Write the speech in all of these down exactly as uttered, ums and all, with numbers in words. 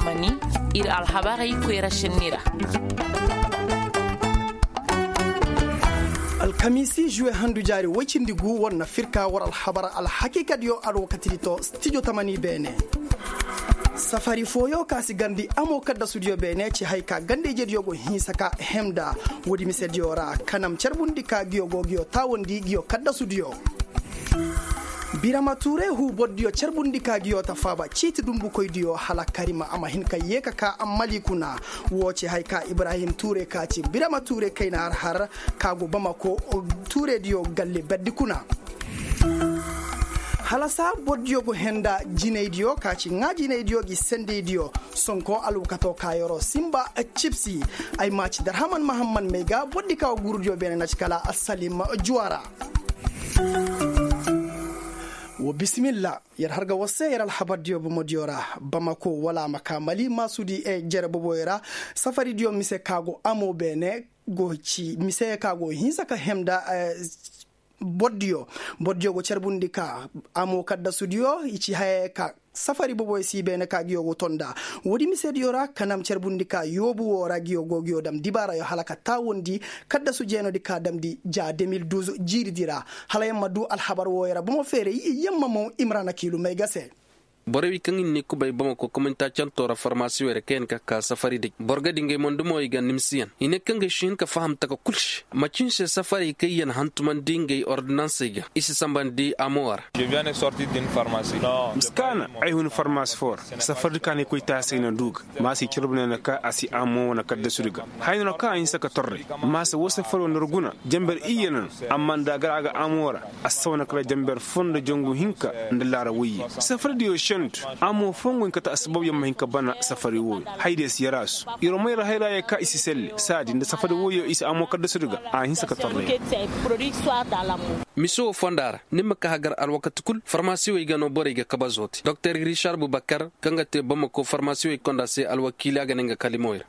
Mani ir alhabarey koyra senni ra. Alkamiisi juwe handu jaari woy cindi gu war na firka war alhabar alhakiikadiyo alwakatidi to stijo tamani beene. Safari fooyo ka si garndi amo kaddasudiyo beene ci hay ka ganda-ijediyo go hinsa ka hemda. Woodi misediyo ra kanam carbundi ka ngiyo go ngiyo taawandi ngiyo kaddasudiyo. Birama tuure huu bordiyo carbundi ka ngiyo ta faaba ciiti dumbukoydiyo hala karima a ma hin ka yee ka ka ammali kuna. Woo ci hay ka ibrahim tuure ka ci birama tuure kayna har har ka go bamako tuurediyo galle berdi kuna. Hala saa bordiyo go henda jinaydiyo ka ci ŋaa jinaydiyo gi sendeydiyo. Sonko alwakato ka yeroo simba cibsi. Ay ma ci darhaman mahamman may ga bordi ka wa guurudiyo beene na ci kala salim juwara. Wa bisimilla. Yer har ga war se yer alhabardiyo bomodiyo ra bamako wala a ma ka mali maasudi jere boboyo ra. Safaridiyo mise ka go amo beene go ci mise ka go hinsa ka hemda. Bordiyo bordiyo go carbundi ka amo kaddasudiyo i ci haya ka safari boboyo si beene ka ngiyo go tonda. Woodi misediyo ra kanam carbundi ka yoobu woo ra ngiyo go ngiyo dam dibaarayo hala ka taawandi kaddasu jeenodi ka damndi ja deux mille douze jiiridi ra. Hala yer ma duu alhabar wooyo ra bomo feeray yer ma maw imrana kiilu may ga se. Borey kaŋ i na ni kubay bamako kominta canto ra farmasiwey ra kaŋ yaŋ ka ka safari day boro ga di ngey mondumo i ga nimsiyaŋ i ne kaŋ ga si hin ka faham taka kul se macin se safarey kaŋ yaŋ hantumandi ngey ordinansey ga i si sambandi amowa ra. Miskaana ay hun farmasi fo ra safari kaŋ ay koy taasey na du ga maasa i carbu ne na ka a si amo wane kaddasudi ga. Haya no kaŋ a hinsa ka torre maasa woo safari wo nda ir guna jamber iyye no. Amma nda a gar a ga amo ra a si saw na kala jamber foo nda jangu hinka nda laara woyye. Safaridiyo sentu amo foo ngu hin ka ta assabab yer ma hin ka bana safari wooyo. Haydiyo si yaraasu yer wo may ra hayraayey ka i si selle saadi nda safari wooyo i si amo kaddasudi ga. A hinsa ka torre. Mise woo fonda ra ni ma ka hagar alwakati kul farmasiwey ga no borey ga kabazo te doktor rishar bubakar kaŋ ga te bamako farmasiwey konda se alwakiili a ga ne nga kalimoy ra.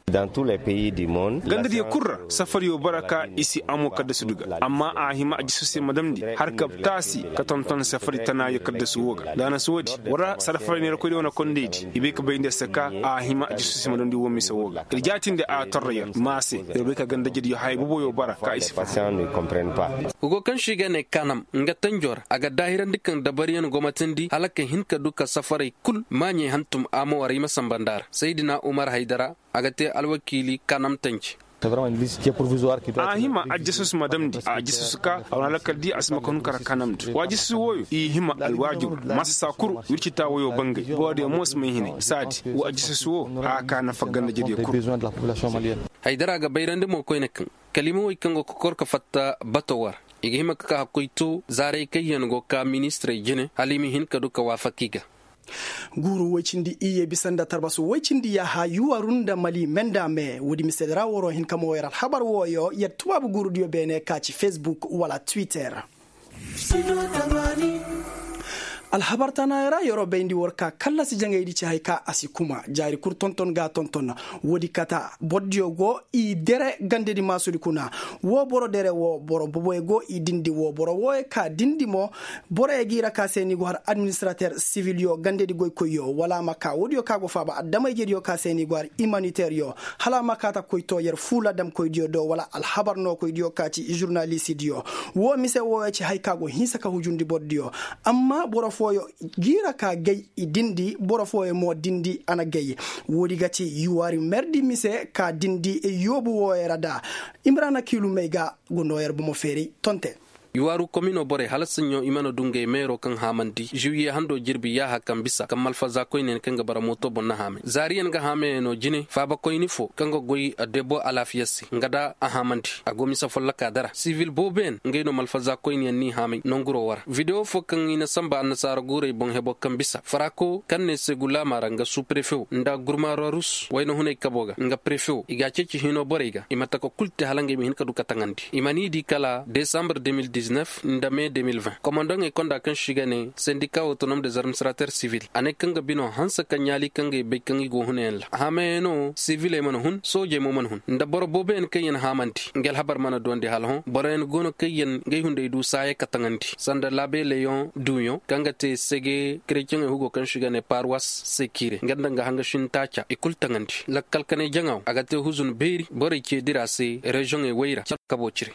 Gandadiyo kul ra safariyo bara ka i si amo kaddasudu ga amma a hima a jisu se ma damndi har ka taasi ka tonton safari tanaayo kaddasu woo ga da a na si woodi war ra sarafaray neerakoydiyo wane kondaydi i bay ka bay nda se ka a hima a jisu se ma damndi woo mise woo ga ir jaatindi a torra yer ma se ir bay ka gandajediyo haya boboyo bara ka i si faham. Hugo kaŋ se i ga ne kanam nga tanjo ra a ga daahirandi kaŋ dabariyaŋ gomatandi hala ka hin ka du ka safaray kul maaɲey hantum amo war i ma samba nda ra saydina umar haydara. A ga te alwakiili kanam tanji. A hima ajasus ma damndi ajasus ka a wane alakal di a si ma ka hun kara kanamndi wa ajasus wooyo i hima alwaajur ma si saa kul wirci taa wooyo bangay boro diyo mo si may hinay saadi wa ajasus woo a ka nafa ganda jediyo kul. Haydara ga bayrandi mo koyne kaŋ kalimawey kaŋ go ka kor ka fatta bato war i ga hima ka ka hakkoy to zaaray kaŋ yaŋ go ka ministirey jine hala i ma hin ka du ka waafak i ga. Guuru woy cindi iyye bisa nda tarbasu woy cindi yaaha yuwaru nda mali menda me woodi mise ra woro hin ka mo yer alhabar wooyo yer tubaabu guurudiyo beene ka ci fesbuk wala twitter. Alhabar tanayo ra yeroo bayndi war ka kallasi jaŋaydi ci hay ka a si kuma jaari kul tonton ga tonton. Woodi kata bordiyo go i dere gandedi maasudi kuna. Woo boro dere woo boro boboyo go i dindi woo boro wooyo ka dindi mo. Boroyo ga i ra ka se ni go har administrater sivilyo gandedi goykoyyo wala a ma ka woodiyo ka go faaba adama-ijediyo ka se ni go har imaniteryo. Hala a ma kaata koy to yer fuula damkoydiyo do wala alhabar nookoydiyo ka ci žurnalisidiyo. Woo mise wooyo ci hay ka go hinsa ka hujundi bordiyo. Amma boro fooyo giira ka gay i dindi boro fooyo mo dindi a na gay. Woodi ga ci yuwari merdi mise ka dindi yoobu wooyo ra da. Imrana kiilumey ga go noo yer bomo feeray tonte. Yuwaaru komino borey hala saɲɲo i mana du ngey meero kaŋ haamandi žiwiye hando jirbi yaaha kaŋ bisa kaŋ malfaza koyne kaŋ ga bara mooto boŋ na haamay zaariyaŋ ga haamayaŋo jine faabakoyni fo kaŋ ga goy debo alaafiya se nga da a haamandi. A go mise folloka dara sivil booboyaŋ ngey no malfaza koyneyaŋ n'i haamay nanguro wara videwo fo kaŋ i na samba annasaara guurey boŋ hebo kaŋ bisa faraako kaŋ ne se gulaama ra nga suuprefew nda gurmaararus wayna hunay kabo ga nga prefew i g'a ceeci hino borey ga i ma taka kul te hala ngey ma hin ka du ka taŋandi i ma n'i di kala desambar deux mille dix. Nda me de mil vingt komandoŋey konda kaŋ se i ga ne sendika autonom des administrater sivil a ne kaŋ ga bino hanse ka ɲaali kaŋ ga i bay kaŋ i go hunayaŋ ra hamayano siviley mana hun soojey mo mana hun nda boro booboyaŋ kaŋ yaŋ haamandi nga alhabar mana duwandi hala hõ boroyaŋ go no kaŋ yaŋ ga ay hunday du saaya ka taŋandi sanda laabe leyoŋ duuyoŋ kaŋ ga te sege kereceŋey hugo kaŋ se i ga ne parwas sekire nga nda nga hangasin taaca i kulu taŋandi lakkal kanay jaŋa wo a ga te huzun beeri borey ce dira se rezoŋey wayra kabo cire.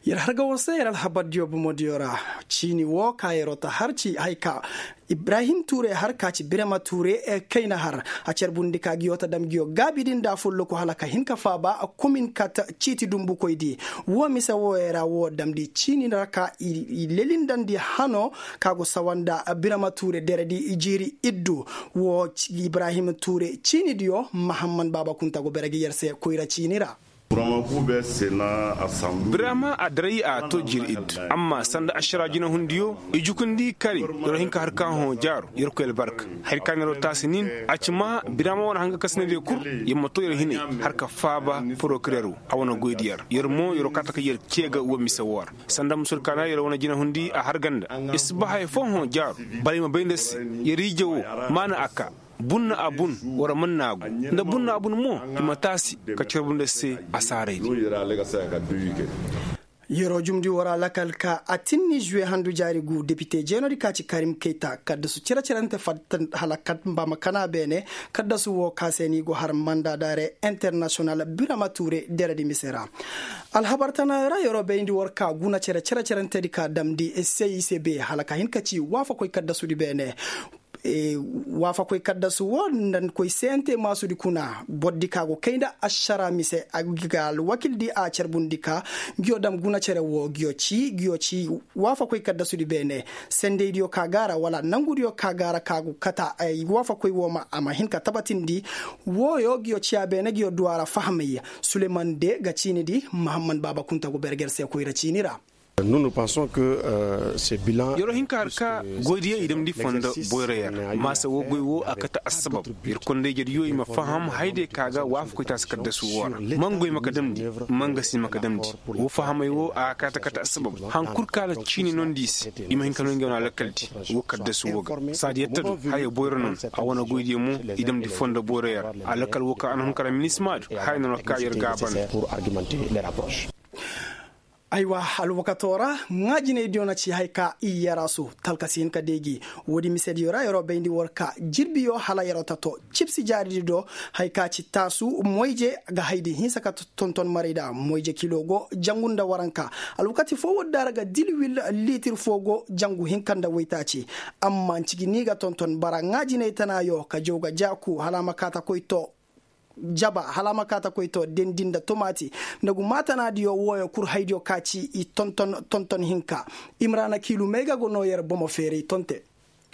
Yer harga war se yer alhabardiyo bomodiyo ra. Ciini wo ka yeroo ta har ci hay ka ibrahim tuure har ka ci birema tuure kayna har a carbundi ka ngiyo ta dam ngiyo gaabi din da folloku hala ka hin ka faaba komin kata ciiti dumbukoydi. Wo mise wooyo ra wo damndi ciini ra ka i lelindandi hano ka go sawa nda birema tuure deredi jiiri iddu. Wo ibrahim tuure ciinidiyo mahamman baaba kunta go bere ga yer se koyra ciini ra. Birama a daray a to jiri iddu amma sanda ašara jinahundiyo i jukundi kari. Yer hinka har ka hõ jaaro yer koy albarka hari ka neeroo taasi nin a ci ma birama wane hanga kasinadiyo kul. Yer ma to yer hinay har ka faaba porokirer wo a wane goydi yer yer mo yer wo kaata ka yer cee ga wo mise wo ra. Sanda musur ka na yer wane jinahundi a har ganda yer si ba haya foo hõ jaaro. Bala i ma bay nda se yer ije wo maana a ka bunna a bun war man naagu nda bunna a bun mo i ma taasi ka carbu nda se. Asaaray di. Yeroo jumndi war a lakal ka a tinni žuwe handu jaari gu depite jeenodi ka ci karim kayta kaddasu cere-cerente fatta hala kat mba ma kana beene. Kaddasu wo ka se ni go har manda daare internasiyonal birama tuure deredi mise ra. Alhabar tana ra yeroo bayndi war ka guna cere-cerentedi ka damndi sicb hala ka hin ka ci waafakoy kaddasudi beene. Waafakoy kaddasu wo nda koy sente maasudi kuna bordi ka go kay nda ašara mise ga alwakildi a carbundi ka ngiyo dam guna cere wo ngiyo ci ngiyo ci. Waafakoy kaddasudi beene sendeydiyo ka gaara wala nangudiyo ka gaara ka go kata. Waafakoy wo ma a ma hin ka tabatindi. Wooyo ngiyo ciya beene ngiyo duwara fahamay suleyman de ga ciinidi mahamman baaba kunta go berger se koyra ciini ra. Yeroo hinka har ka goydiyo i damndi fondo boyra yer maasa woo goy woo a kate assabab. Yer kondey jediyo i ma faham hayday ka ga waafakoy taasi kaddasu woo ra. Man goy ma ka damndi man ga si ma ka damndi woo fahamay woo a ga kate kate assabab. Haŋ kul ka ala ciini nondi i se i ma hin ka no ngey wane alakaldi woo kaddasu woo ga saadi yatta do haya boyra noon. A wane goydiyo mo i damndi fondo boyra yer alakal woo ka a na hun kara minismaadu haya noon ka yer gaabana. Aywa, alwakatoo ra ŋaajinaydiyo na ci hay ka i yaraasu talka si hin ka deegi. Woodi misediyo ra yeroo bayndi war ka jirbiyo hala yeroo ta too cibsi jaaridi do. Hay ka ci taasu moyje ga haydi hinsa ka tonton maray da moyje kilo go jangu nda waranka. Alwakati foo woodi da ra ga dilwil liitir foo go jangu hinka nda waytaaci. Amma ncigi ni ga tonton bara ŋaajinay tanaayo ka jaw ga jaaku hala a ma kaa ta koy too jaba hala a ma kaa ta koy too dendi nda tomaati. Nda gu maatanaadiyo wooyo kul haydiyo ka ci i tonton tonton hinka. Imraana kiilu may ga go noo yer bomo feeray tonte.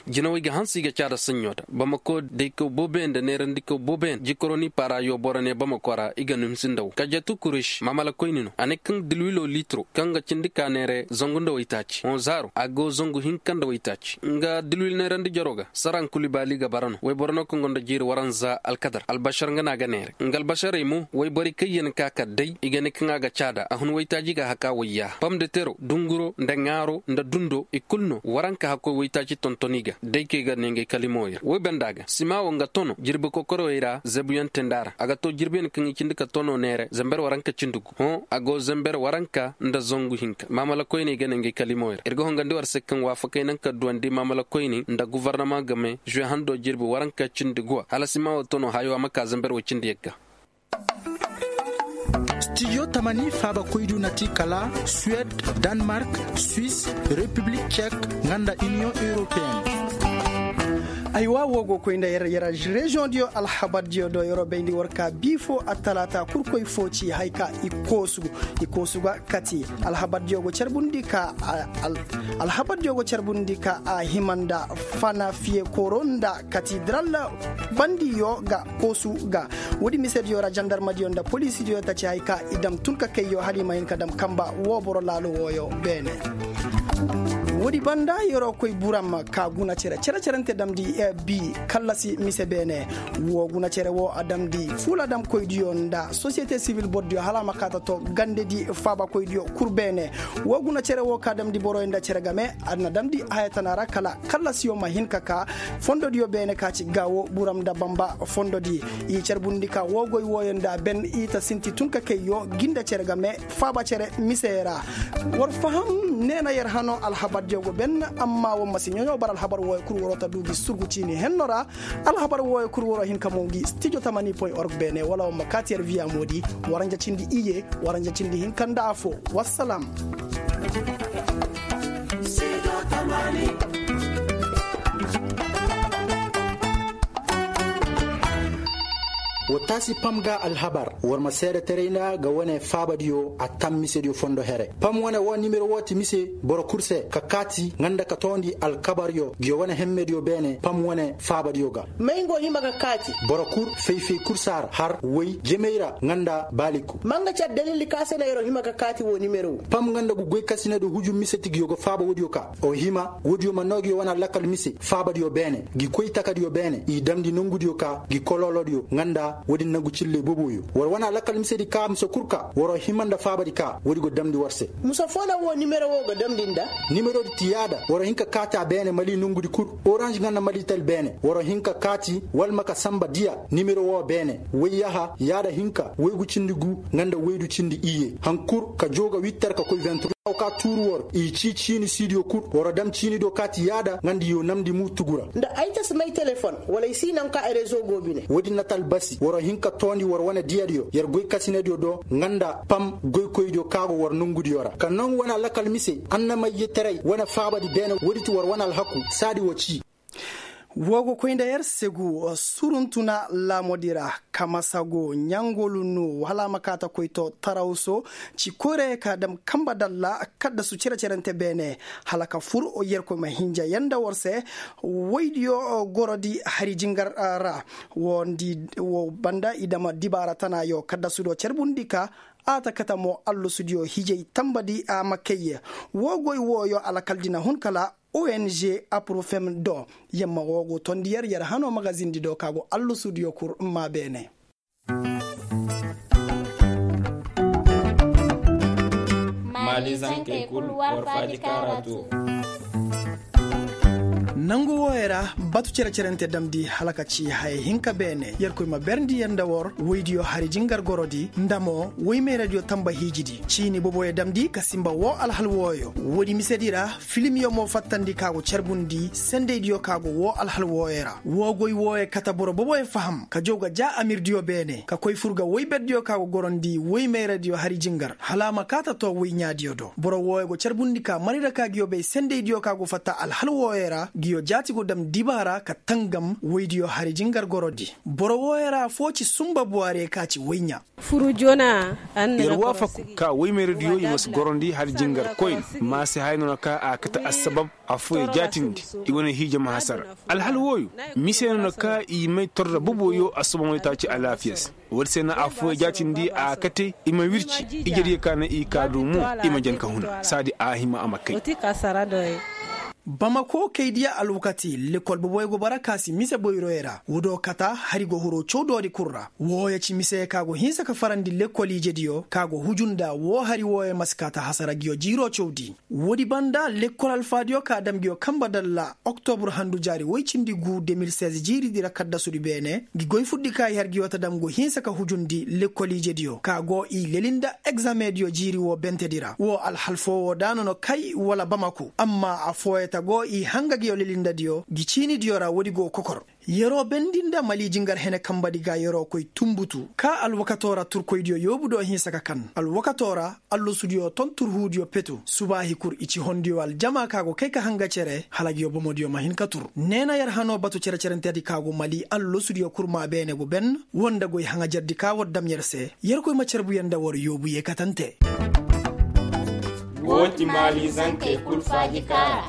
Jinawey ga hanse i ga caada saɲɲo ta bamako daykaw booboyaŋ nda neerandikaw booboyaŋ jikoroni paara yooboro ne bamako ra i ga nuhimsi nda wo kajatu kureši maamalakoyni no a ne kaŋ dilwilo liitiro kaŋ ga cindi ka neere zangu nda waytaaci hõ zaaro a go zangu hinka nda waytaaci nga dilwil neerandi jaroo ga saraŋ kuli baali ga bara no wayboro no kaŋ go nda jiiri waranza alkadar albasar nga no a ga neere nga albasarey mo wayborey kaŋ yaŋ ka ka day i ga ne kaŋ a ga caada a hun waytaaji ga haka wayya pom de tero dunguro nda ŋaaro nda dundo i kulu no waranka hakkoy waytaaci tonton i ga day kaŋ i ga ne ngey kalimo yer woy banda ga sima wo nga tono jirbi kokorowey ra zebuyaŋ tenda ra a ga to jirbiyaŋ kaŋ i cindi ka tono neere zember waranka cindi gu hõ a go zember waranka nda zangu hinka maamala koyney ga ne ngey kalimo yer ir ga hongandi war se kaŋ waafakey naŋ ka duwandi maamala koyney nda guvarnama game žuwe hando jirbi waranka cindi guwa hala sima wo tono hayo a ma ka zember way cindi yagga. Studio tamani faaba koydu na ti kala suwed, danmark, suis, repiblik cek, nga nda iniyoŋ europeen. Aywa wo go koy nda yer reziyoŋ diyo alhabar diyo do yeroo bayndi war ka bii fo attalaata kurkoy fo ci hay ka i koosu ga kati. Alhabar diyo go carbundi ka alhabar diyo go carbundi ka a hima nda fana fiye kooro nda katidiral bandiyo ga koosu ga. Woodi misediyo ra jandarmadiyo nda poliisidiyo ta ci hay ka i dam tun ka kayyo hala i ma hin ka dam kamba woo boro laalo wooyo beene. Woodi banda yer'o koy buram ka guna cere cere-cerente damndi bi kallasi mise beene. Woo guna cere woo a damndi fuuladamkoydiyo nda sosiyete sibil bordiyo hala a ma kaata to gandedi faabakoydiyo kul beene. Woo guna cere woo ka damndi boroyo nda cere game a na damndi haya tana ra kala kallasiyo ma hin ka kaa fondodiyo beene ka ci gaawo buram nda bamba fondodi. I carbundi ka woo goy wooyo nda ben i ta sinti tun ka kay yoo gi nda cere game faaba cere mise ra. War faham neena yer hano alhabardiyo go ben. Amma war ma si ɲoɲo bara alhabar wooyo kul waroo ta duu gi surgu ciini henno ra. Alhabar wooyo kul waroo hin ka moŋ gi stijo tamani point org beene wala war ma kaati yer viya moodi. Waranja cindi iyye waranja cindi hinka nda afoo. Wassalam. Wa taasi pam ga alhabar war ma seedetaray nda ga wane faabadiyo a tam misediyo fondo here pam wane woo nimero woo ti mise. Boro kul se ka kaati nga nda ka toondi alkabaryo ngiyo wane hemmediyo beene pam wane faabadiyo ga. May nga hima ka kaati? Boro kul fay-fay kul saara har way jemey ra nga nda baaliku. Ma nga ci addalil ka se na yer hima ka kaati woo nimero woo? Pam nga nda ngu goykasinadiyo huju mise ti ngiyo ga faaba woodiyo ka o hima woodiyo ma noo ngiyo wane alakal mise faabadiyo beene ngi koy takadiyo beene i damndi nongudiyo ka ngi koloolodiyo nga nda woodi nangu cilley boboyo war wane alakal misedi ka musa kul ka waroo hima nda faabadi ka woodi go damndi war se. Musa foo na woo nimero woo ga damndi nda? Nimerodi ti yaada waroo hin ka kaati a beene mali nongudi kul oranž nga nda malitel beene waroo hin ka kaati wala ma ka sanba diya. Nimero woo beene woy yaha yaada hinka woygu cindi gu nga nda woydu cindi iyye han kul ka joo ga wittar ka koy ventur. Ka tuuru war i cii ciini siidiyo kul waroo dam ciinidiyo kaati yaada nga nda i yoo namndi muutugu ra. Nda ay ta si may telefon wala ay si naŋ ka ay rezo go bine woodin na ta albasi waroo hin ka toondi war wane diyadiyo yer goykasinadiyo do nga nda pam goykoydiyo ka go war nongudiyo ra ka naŋ wane alakal mise annamayye taray wane faabadi beene woodi ti war wane alhaku saadi wa cii. Woo go koy nda yer segu suruntuna laamodi ra kamasago ɲangolunu hala a ma kaata koy to tarawso ci koyra ye ka dam kanba dalla kaddasu cere-cerente beene hala ka fur yerkoy ma hinja yanda war se. Woydiyo gorodi hari jingar ra woo banda i dama dibaara tanaayo kaddasudo carbundi ka a ta kate mo allasudiyo hijay tanbadi a ma kay. Woo goy wooyo alakaldi na hun kala ong aprofem do yamma woo go tondi yer yer hanoo magazindi do ka go allasudiyo kur maa beene. Maalizankey kul war faaji kaara too. Nangu wooyo ra batu cere-cerente damndi hala ka ci haya hinka beene yerkoy ma berndi yer nda war woydiyo hari jingar gorodi nda mo woy mayradiyo tanba hiijidi ciini boboyo damndi ka sinba woo alhal wooyo. Woodi misedi ra filimyo mo fattandi ka go carbundi sendeydiyo ka go woo alhal wooyo ra woo goy wooyo kate boro boboyo faham ka jaw ga ja amirdiyo beene ka koy fur ga woyberdiyo ka go gorondi woy mayradiyo hari jingar hala a ma kaata too woy ɲaadiyo do boro wooyo go carbundi ka mari ra ka ngiyo bay sendeydiyo ka go fatta alhal wooyo ra ngiyo jaati go dam dibaara ka tangam woydiyo hari jingar gorodi. Boro wooyo ra affoo ci sunba buwaariyo ka ci woy ɲaa. Yer waafaku ka woy mayradiyo i ma si gorondi hari jingar koyne ma si haya noona ka a kate assabab. Affooyey jaatindi i wane hiija ma hasara alhal wooyo mise noona ka i may torra boboyo assobomoytaaci alaafiya se. Woodi se na affooyey jaatindi a kate i ma wirci ijediyo ka na i kaa du mo i ma jan ka huna saadi a hima a ma kay. Bamako kaydiya alwakati lekkol boboyo go bara ka si mise boyroyo ra woodoo kata hari go huroo cawdoodi kul ra. Wooyo ci mise ka go hinsa ka farandi lekkol ijediyo ka go huju nda woo hari wooyo ma si kaata hasara ngiyo jiiroo cawdi. Woodi banda lekkol alfaadiyo ka dam ngiyo kanba dalla oktobur handu jaari woy cindi guu de mil seize jiiridi ra kaddasudi beene ngi goy furdi ka i har ngiyo ta dam ngu hinsa ka hujundi lekkol ijediyo ka go i leli nda egzamediyo jiiri woo bentedi ra woo alhal foo woo daana no kay wala bamaku amma affooyo ta go i hanga ngiyo leli ndadiyo ngi ciinidiyo ra woodi go kokor. Yeroo bendi nda mali jingar hene kanbadi ga yeroo koy tunbutu ka alwakatoo ra turkoydiyo yoobu do hinsa ka kan alwakatoo ra. Allasudiyo ton turhuudiyo petu subaahi kul i ci hondiyo aljama ka go kay ka hanga cere hala ngiyo bomodiyo ma hin ka tur. Neena yer hanoo batu cere-cerentedi ka go mali allasudiyo kul maa beene go ben woo nda goy haŋajerdi ka war dam yer se. Yerkoy ma carbu yer nda war yoobu yeekatante. Woo ti maalizankey kul faaji kaara.